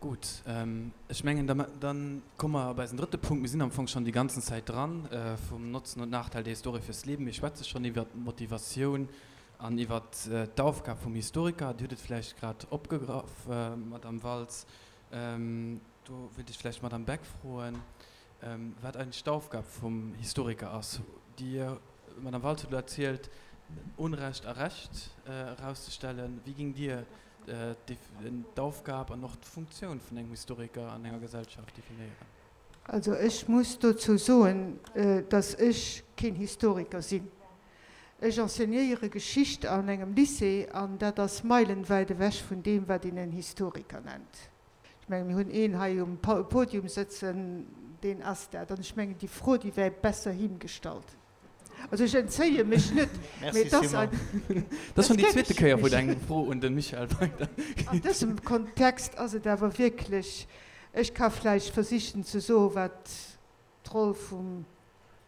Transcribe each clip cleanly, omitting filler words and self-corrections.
Gutt, ech mengen, da komme mer op eisen drëtte Punkt. Mir sinn am Fong schonn déi ganzen Zäit dran, vum Notzen und Nachteil der Historie fürs Leben. Mir schwätze schonn iwwert d'Motivatioun an iwwert d'Aufgab vum Historiker. Dir hutt et vläicht grad opgegraff, Madamm Waltz. Do wéilt ech vläicht d'Madamm Beck froen, wat eigentlech d'Aufgab vum Historiker ass. Dir, Madamm Waltz, hutt elo erzielt, Unrecht a Recht erauszestellen. Wéi géingt Dir d'Aufgab an och d'Funktioun vun engem Historiker an enger Gesellschaft definéieren? Also ech muss dozou soen, datt ech keen Historiker sinn. Ech enseignéiere Geschicht an engem Lycée an dat ass meilenwäit ewech vun deem, wat een en Historiker nennt. Ech mengen, mir hunn een hei um Podium sëtzen, deen ass dat. An ech mengen, déi Fro, déi wär besser him gestallt. Also ech entzéie mech net, mee et ass ein. Dat ass schonn déi zweete Kéier, wou Der eng Fro un de Michael weidergitt. An dësem Kontext ass et awer wierklech, ech ka vläicht versichen ze soen, wat d'Roll vum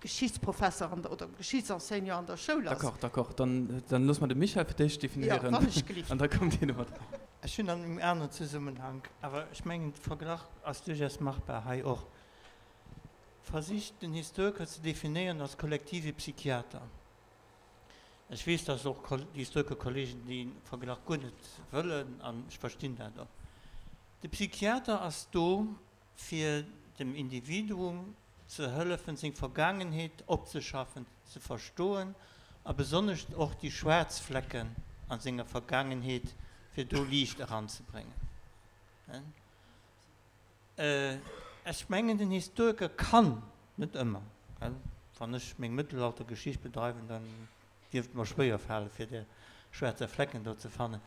Geschichtsprofesser an der, oder Geschichtsenseignant an der Schoul ass. D'accord, d'accord. Dann, dann loosse mer de Michael fir d'éischt definéieren. Jo, wann ech gelift. An da kommt Dir domat. Ech hunn an engem aneren Zesummenhank, awer ech mengen, de Verglach ass duerchaus machbar hei och, versicht den Historiker ze definéieren als kollektive Psychiater. Ech weess, dass och Historikerkollegen dee Verglach guer net wëllen, an ech verstinn dat och. De Psychiater ass do, fir dem Individuum ze hëllefen, seng Vergaangenheet opzeschaffen, ze verstoen a besonnesch och déi schwaarz Flecken a senger Vergaangenheet, fir do Liicht eranzebréngen. Ech mengen, den Historiker kann, net ëmmer, wann ech meng Mëttelaltergeschicht bedreiwen, dann dierft et mer schwéier falen, fir där schwaarzer Flecken do ze fannen,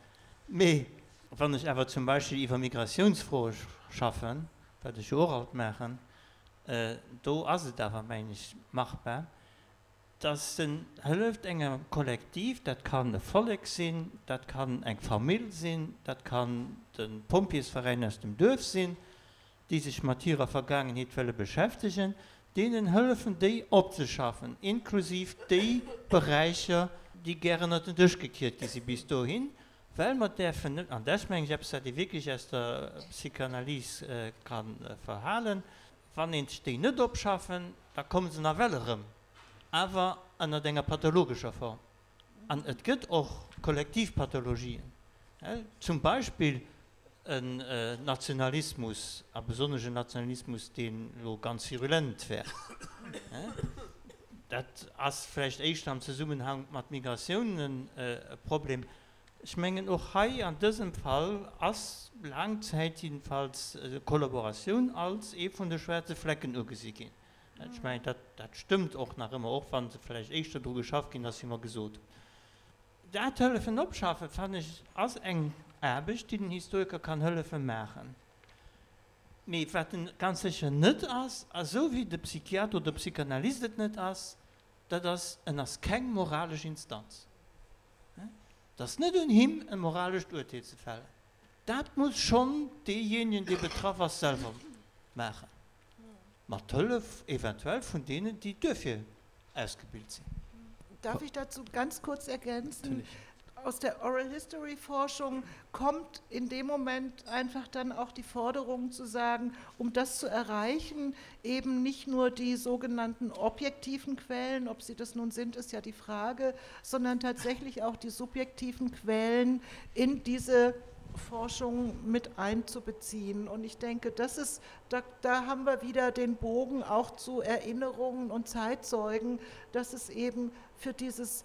mee wann ech awer zum Beispill iwwer Migratiounsfroe schaffen, wat ech jo och alt maachen, do ass et awer, mengen ech, machbar, dass en hëlleft engem Kollektiv, dat kann e Vollek sinn, dat kann eng Famill sinn, dat kann de Pompjeesveräin aus dem Duerf sinn, déi sech mat hirer Vergaangenheet wëlle beschäftegen, deenen hëllefen déi opzeschaffen, inklusiv déi Beräicher, déi gär ënnert den Dësch gekiert gi si bis dohin, well mer däerfen net, an dat ass mengen ech eppes wat ee wierklech aus der Psychanalyse ka verhalen, wann een déi net opschaffen, da komme se nawell erëm, awer ënnert enger pathologescher Form. An et gëtt och kollektiv Pathologien, zum Beispill en Nationalismus, a besonnesch en Nationalismus, deen elo ganz virulent wär. Dat ass vläicht éischter am Zesummenhank mat Migratiounen e Problem. Ech mengen, och hei an dësem Fall ass laang Zäit jiddefalls Kollaboratioun als ee vun de schwaarze Flecken ugesi ginn. Ech mengen, dat, dat stëmmt och nach ëmmer, och wa se vläicht éischter dru geschafft ginn ass, wéi mer gesot hunn. Dat Hëllefen opschaffen, fannen ech, ass eng Aarbecht, déi den Historiker kann hëllefe maachen. Mee wat en ganz sécher net ass, a sou wéi de Psychiater oder Psychanalyst et net ass, dat ass, en ass keng moralesch Instanz. Et ass net un him, e moralescht Urteel ze fällen. Dat muss schonn deejéinegen, dee betraff ass, selwer maachen. Mat Hëllef eventuell vun deenen, déi duerfir ausgebilt sinn. Darf ich dazu ganz kurz ergänzen? Aus der Oral History Forschung kommt in dem Moment einfach dann auch die Forderung zu sagen, um das zu erreichen, eben nicht nur die sogenannten objektiven Quellen, ob sie das nun sind, ist ja die Frage, sondern tatsächlich auch die subjektiven Quellen in diese Forschung mit einzubeziehen. Und ich denke, das ist, da, da haben wir wieder den Bogen auch zu Erinnerungen und Zeitzeugen, dass es eben für dieses,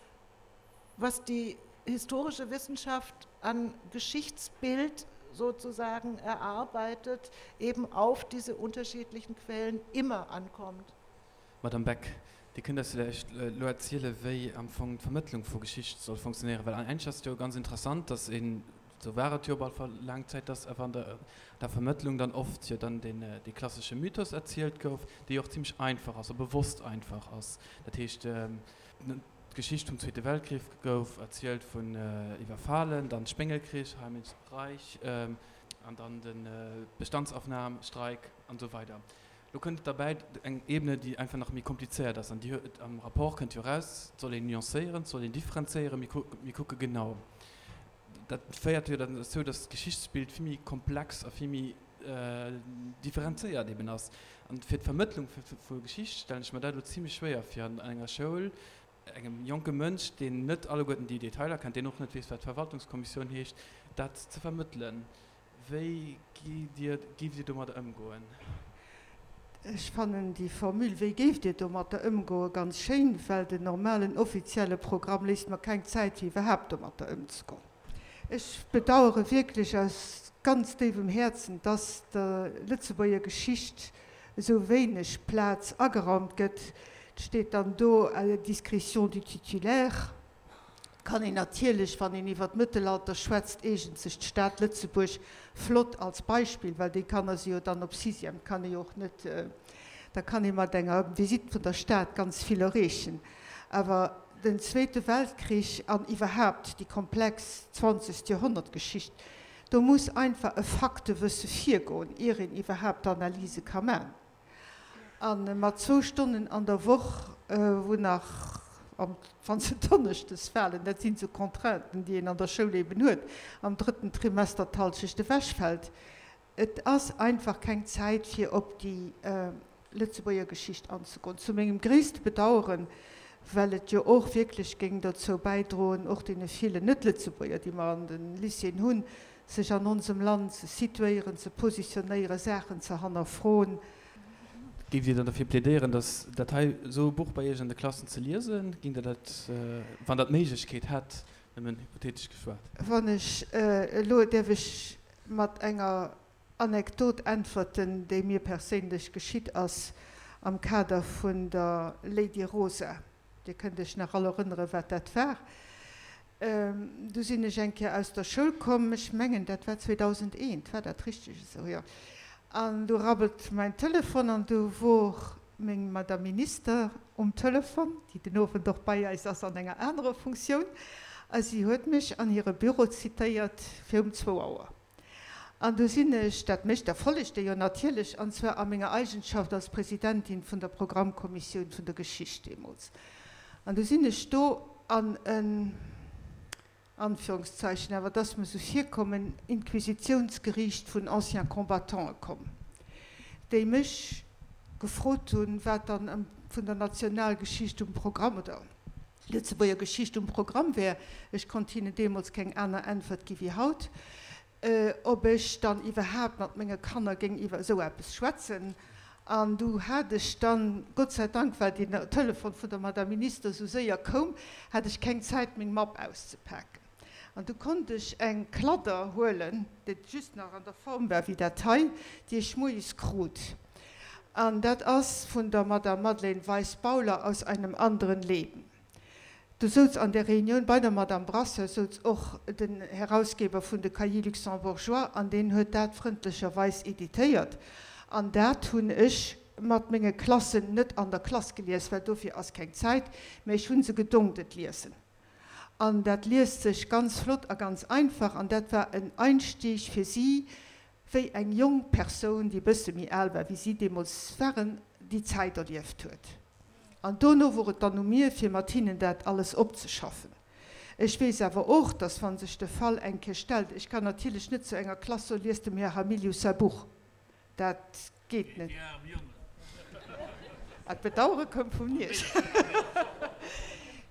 was die historische Wissenschaft an Geschichtsbild sozusagen erarbeitet, eben auf diese unterschiedlichen Quellen immer ankommt. Madame Beck, Dir kënnt eis villäicht elo erziele wéi am Fong d'Vermëttlung vu Geschicht soll funktionéieren, well eigentlech ass et jo ganz interessant, datt een, esou war et jo op alle Fall laang Zäit, datt awer an der Vermëttlung dann oft jo dann deen dee klassesche Mythos erzielt gouf, dee jo och zimmlech einfach ass a bewosst einfach ass. Dat heescht, d'Geschicht vum Zweete Weltkrich gouf erzielt vun Iwwerfalen, dann Spéngelkrich, Heimlich Reich an dann de Bestandsaufnahmstreik an esou weider. Lo kënnt et derbäi eng Ebene, déi einfach nach méi komplizéiert ass an déi huet, am Rapport kënnt jo eraus, et soll een nuancéieren, et soll een differenzéieren, mir kucken, mir kucke genau. Dat féiert jo dann dozou, datt d'Geschichtsbild vill méi komplex a vill méi. differenzéiert eben ass. An fir d'Vermëttlung vu Geschicht stellen ech mer dat elo zimlech schwéier vir an enger Schoul, engem jonke Mënsch, deen net alleguerten déi Detailer kennt, deen och net weess, wat Verwaltungskommissioun heescht, dat ze vermëttelen. Wéi gitt Dir, géift Dir domadder ëmgoen? Ech fannen déi Formule Wéi géift Dir domatter ëmgoen? ganz schéin, well den normalen offizielle Programm léisst mer keng Zäit fir iwwerhaapt domatter ëmzegoen. Ech bedauere wierklech aus ganz déiwem Häerzen, dass der Lëtzebuerger Geschicht esou wéineg Plaz ageraumt gëtt. Et steet dann do à la discrétion du titulaire. Et kann een natierlech, wann een iwwer d'Mëttelalter schwätzt, eegent sech d'Stad Lëtzebuerg flott als Beispill, well déi Kanner si jo dann op Sixième, kann ee jo och net, da kann ee mat enger Visite vun der Stad ganz vill erreechen. Awer den Zweete Weltkrich an iwwerhaapt déi komplex zwanzegt Joerhonnertgeschicht, do muss einfach e Faktewësse virgoen, ier een iwwerhaapt Analyse ka man. A mat zwou Stonnen an der Woch, wou nach, wann se donneschdes falen, dat sinn esou Contrainten, déi een an der Schoul eben huet, am drëtten Trimester d'Halschecht ewechfält. Et ass einfach keng Zäit, fir op déi Lëtzebuerger Geschicht anzegoen, zu mengem gréisste Bedaueren, well et jo och wierklech géing dozou bäidroen, och deene villen Net-Lëtzebuerger, déi mer an de Lycéeën hunn, sech an onsem Land ze situéieren, ze positionéieren, Saachen ze hannerfroen. Géift Dir dann derfir plädéieren, datt dat hei, esou e Buch bei Iech an de Klassen ze liesen? Géingt Der dat, wann Der d'Méiglechkeet hätt, nëmmen hypothetesch geschwat? Wann ech elo, däerf ech mat enger Anekdot äntwerten, déi mir perséinlech geschitt ass am Kader vun der Lady Rosa. Dir kënnt Iech nach all erënneren, wat dat war. Du sinn ech eng Kéier aus der Schoul komm, ech mengen, dat war 2001, war dat richteg esou? Jo. An du rabbelt mäin Telefon an du wor meng Madame Minister um Telefon, déi den Owend och bei eis ass an enger anerer Funktioun, a si huet mech an hire Büro zitéiert fir um zwou Auer. An du sinn ech, dat mécht der follegt Dir jo natierlech, an zwar a menger Eigenschaft als Presidentin vun der Programmkommissioun vun der Geschicht deemools, an du sinn ech do an en, Anführungszeichen, awer et ass mir esou virkomm, en Inquisitiounsgeriicht vun Anciens combattante komm, déi mech gefrot hunn, wat dann vun der Nationalgeschicht um Programm oder Lëtzebuerger Geschicht um Programm wär. Ech konnt hinnen deemools keng aner Äntwert gi wéi haut, ob ech dann iwwerhaapt mat menge Kanner géing iwwer esou eppes schwätzen. An du hat ech dann, Gott sei Dank, well deen Telefon vun der Madame Minister esou séier koum, hat ech keng Zäit meng Mapp auszepaken. An du konnt ech eng Kladder huelen, déi just nach an der Form war wéi dat hei, déi ech moies krut. An dat ass vun der Madame Madeleine Weis-Bauler aus einem anderen Leben. Do souz an där Reunioun bei der Madame Brasseur souz och den Herausgeber vun de Cahiers luxembourgeois an deen huet dat frëndlecherweis editéiert. An dat hunn ech mat menge Klassen net an der Klass gelies, well dofir ass keng Zäit, mä ech hu se gedongt et liesen. An dat liest sech ganz flott a ganz einfach an dat war en Einstieg fir si, wéi eng jonk Persoun, déi e bësse méi al war wéi si deemools waren, déi Zäit erlieft huet. An dono wor et dann u mir, fir mat hinnen dat alles opzeschaffen. Ech weess awer och, dass, wa sech de Fall eng Kéier stellt, ech kann natierlech net zu enger Klass soen, Liest dem Här Hamilius säi Buch. Dat geet net. Ah, d'Bedauere koum vum Nies.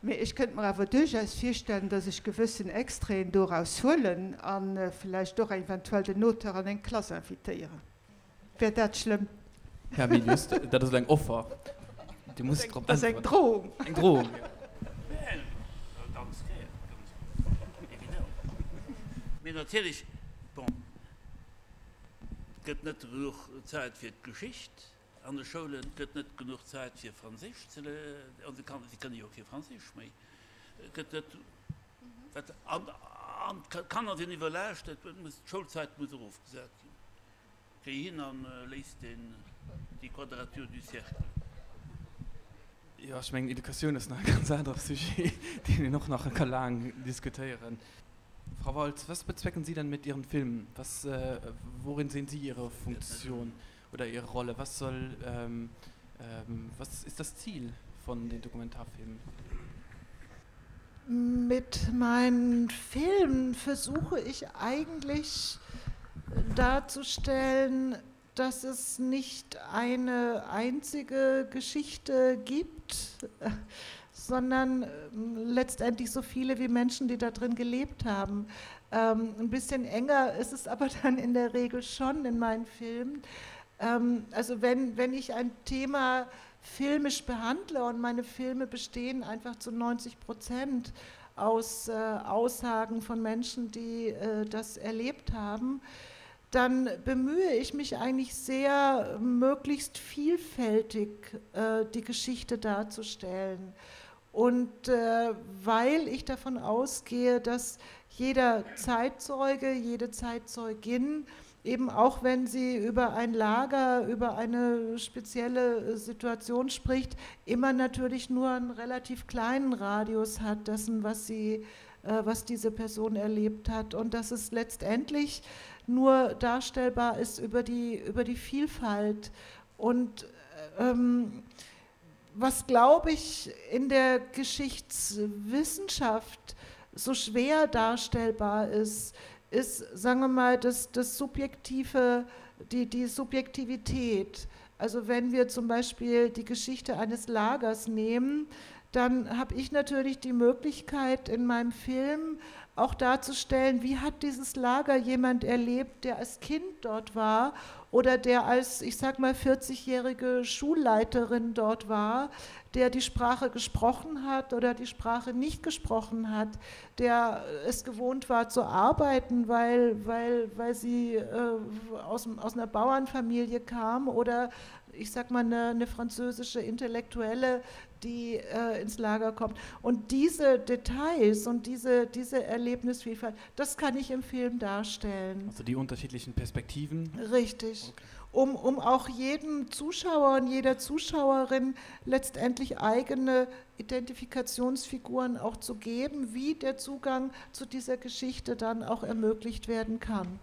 Mee ech kënnt mer awer duerchaus virstellen, dass ech gewëssen Extraiten doraus huelen a vläicht och eventuell den Auteur an eng Klass invitéieren. Wär dat schlëmm? Här Milius, dat ass elo eng Offer. Dir musst drop äntweren. Dat ass eng Drohung. Eng Drohung, jo. Ganz gär, ganz évidemment. Mee natierlech, bon. Et gëtt net genuch Zäit fir d'Geschicht an de Schoulen, et gëtt net genuch Zäit fir Franséisch ze léieren, si kënne jo kee Franséisch méi, et gëtt net, wat, an d'Kanner sinn iwwerlaascht, et muss, d'Schoulzäit muss erofgesat ginn. Géi hin an léis den, déi Quadrature du cercle. Jo, ech mengen, Educatioun ass nach e ganz anere Sujet, deen een och nach ka laang diskutéieren. Frau Waltz, was bezwecken Sie denn mit Ihren Filmen? Was, worin sehen Sie Ihre Funktion oder Ihre Rolle? Was soll, was ist das Ziel von den Dokumentarfilmen? Mit meinen Filmen versuche ich eigentlich. darzustellen, dass es nicht eine einzige Geschichte gibt, sondern ähm, letztendlich so viele wie Menschen, die da drin gelebt haben. Ähm, ein bisschen enger ist es aber dann in der Regel schon in meinen Filmen. Ähm, also wenn, wenn ich ein Thema filmisch behandle und meine Filme bestehen einfach zu 90 Prozent aus äh, Aussagen von Menschen, die äh, das erlebt haben, dann bemühe ich mich eigentlich sehr, möglichst vielfältig äh, die Geschichte darzustellen. Und äh, weil ich davon ausgehe, dass jeder Zeitzeuge, jede Zeitzeugin, eben auch wenn sie über ein Lager, über eine spezielle Situation spricht, immer natürlich nur einen relativ kleinen Radius hat dessen, was sie, äh, was diese Person erlebt hat. Und dass es letztendlich nur darstellbar ist über die, über die Vielfalt. Und ähm, was, glaube ich, in der Geschichtswissenschaft so schwer darstellbar ist, ist, sagen wir mal, das, das Subjektive, die, die Subjektivität. Also wenn wir zum Beispiel die Geschichte eines Lagers nehmen, dann habe ich natürlich die Möglichkeit in meinem Film auch darzustellen, wie hat dieses Lager jemand erlebt, der als Kind dort war oder der als, ich sag mal, 40-jährige Schulleiterin dort war, der die Sprache gesprochen hat oder die Sprache nicht gesprochen hat, der es gewohnt war zu arbeiten, weil, weil, weil sie äh, aus, aus einer Bauernfamilie kam oder ich sag mal, eine, eine französische Intellektuelle, die äh, ins Lager kommt. Und diese Details und diese, diese Erlebnisvielfalt, das kann ich im Film darstellen. Also die unterschiedlichen Perspektiven? Richtig. Okay. Um, um auch jedem Zuschauer und jeder Zuschauerin letztendlich eigene Identifikationsfiguren auch zu geben, wie der Zugang zu dieser Geschichte dann auch ermöglicht werden kann.